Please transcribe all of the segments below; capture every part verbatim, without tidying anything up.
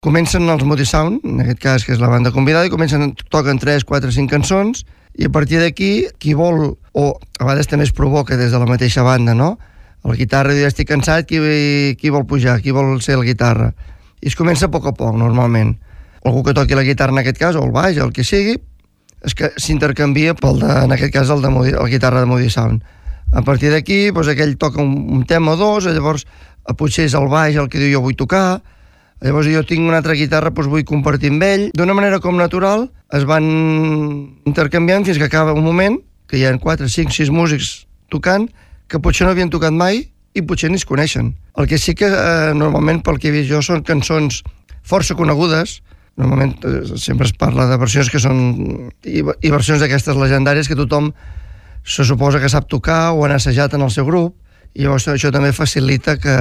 Comencen els Moody Sound, en aquest cas, que és la banda convidada, i comencen, toquen tres, quatre, cinc cançons, i a partir d'aquí, qui vol, o a vegades també es provoca des de la mateixa banda, no? A la guitarra diu, estic cansat, qui, qui vol pujar, qui vol ser la guitarra? I es comença a poc a poc, normalment. Algú que toqui la guitarra, en aquest cas, o el baix, el que sigui, és que s'intercanvia pel de, en aquest cas, el de Moody, la guitarra de Moody Sound. A partir d'aquí, doncs, aquell toca un, un tema o dos, llavors potser és el baix el que diu jo vull tocar, llavors jo tinc una altra guitarra, doncs vull compartir amb ell. D'una manera com natural es van intercanviant fins que acaba un moment que hi ha quatre, cinc, sis músics tocant que potser no havien tocat mai i potser ni es coneixen. El que sí que eh, normalment pel que he vist jo són cançons força conegudes. Normalment eh, sempre es parla de versions que són i, i versions d'aquestes legendàries que tothom se suposa que sap tocar o han assajat en el seu grup, i llavors això també facilita que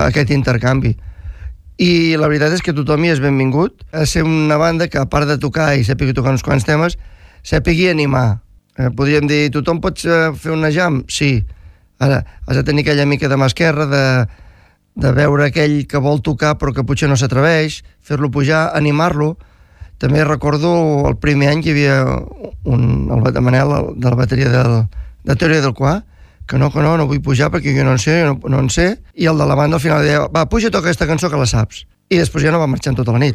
aquest intercanvi. I la veritat és que tothom hi és benvingut a ser una banda que, a part de tocar i sàpiga tocar uns quants temes, sàpigui animar. Eh, podríem dir, tothom pot fer una jam? Sí. Ara, has de tenir aquella mica de mà esquerra, de, de veure aquell que vol tocar però que potser no s'atreveix, fer-lo pujar, animar-lo. També recordo el primer any que hi havia un, el Manel, de la bateria del, de Teoria del Qua, que no, que no, no vull pujar perquè jo no en sé, no, no en sé, i el de la banda al final deia, va, puja, toca aquesta cançó que la saps. I després ja no va marxar tota la nit.